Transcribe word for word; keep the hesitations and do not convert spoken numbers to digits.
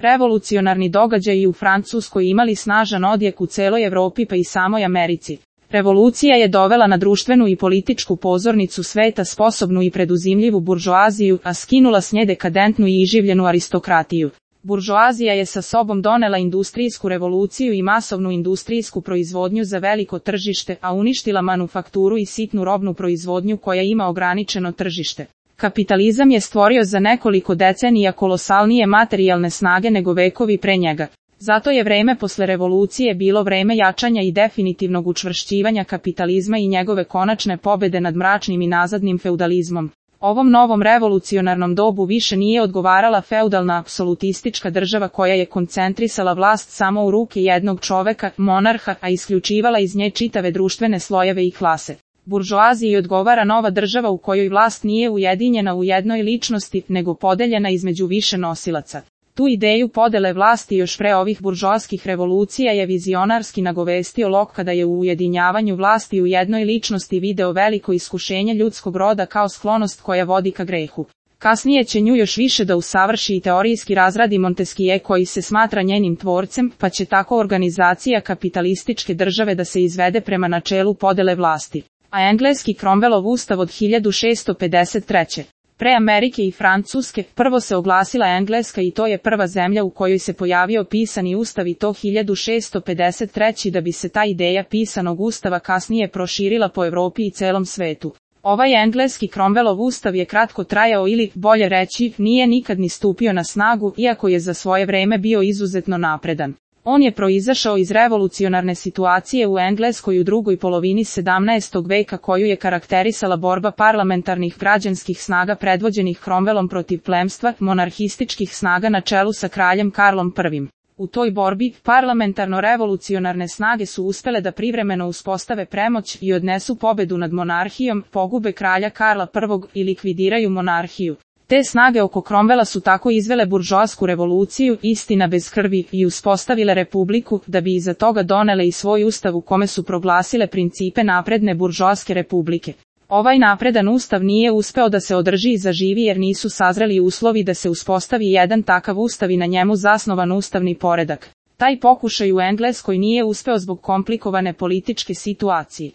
Revolucionarni događaji u Francuskoj imali snažan odjek u celoj Evropi pa i samoj Americi. Revolucija je dovela na društvenu i političku pozornicu sveta sposobnu i preduzimljivu buržoaziju, a skinula s nje dekadentnu i iživljenu aristokratiju. Buržoazija je sa sobom donela industrijsku revoluciju i masovnu industrijsku proizvodnju za veliko tržište, a uništila manufakturu i sitnu robnu proizvodnju koja ima ograničeno tržište. Kapitalizam je stvorio za nekoliko decenija kolosalnije materijalne snage nego vekovi pre njega. Zato je vreme posle revolucije bilo vreme jačanja i definitivnog učvršćivanja kapitalizma i njegove konačne pobede nad mračnim i nazadnim feudalizmom. Ovom novom revolucionarnom dobu više nije odgovarala feudalna apsolutistička država koja je koncentrisala vlast samo u ruke jednog čoveka, monarha, a isključivala iz nje čitave društvene slojeve i klase. Buržoaziji odgovara nova država u kojoj vlast nije ujedinjena u jednoj ličnosti, nego podeljena između više nosilaca. Tu ideju podele vlasti još pre ovih buržoaskih revolucija je vizionarski nagovestio Locke kada je u ujedinjavanju vlasti u jednoj ličnosti video veliko iskušenje ljudskog roda kao sklonost koja vodi ka grehu. Kasnije će nju još više da usavrši i teorijski razradi Montesquieu koji se smatra njenim tvorcem, pa će tako organizacija kapitalističke države da se izvede prema načelu podele vlasti. A engleski Cromwellov ustav od hiljadu šessto pedeset treće. Pre Amerike i Francuske, prvo se oglasila Engleska i to je prva zemlja u kojoj se pojavio pisani ustav i to hiljadu šessto pedeset treće da bi se ta ideja pisanog ustava kasnije proširila po Evropi i celom svetu. Ovaj engleski Cromwellov ustav je kratko trajao ili, bolje reći, nije nikad ni stupio na snagu, iako je za svoje vreme bio izuzetno napredan. On je proizašao iz revolucionarne situacije u Engleskoj u drugoj polovini sedamnaestog veka koju je karakterisala borba parlamentarnih građanskih snaga predvođenih Cromwellom protiv plemstva, monarhističkih snaga na čelu sa kraljem Karlom prvim. U toj borbi, parlamentarno-revolucionarne snage su uspele da privremeno uspostave premoć i odnesu pobedu nad monarhijom, pogube kralja Karla prvog i likvidiraju monarhiju. Te snage oko Cromwella su tako izvele buržoasku revoluciju, istina bez krvi, i uspostavile republiku, da bi iza toga donele i svoj ustav u kome su proglasile principe napredne buržoaske republike. Ovaj napredan ustav nije uspeo da se održi i zaživi jer nisu sazreli uslovi da se uspostavi jedan takav ustav i na njemu zasnovan ustavni poredak. Taj pokušaj u Engleskoj nije uspeo zbog komplikovane političke situacije.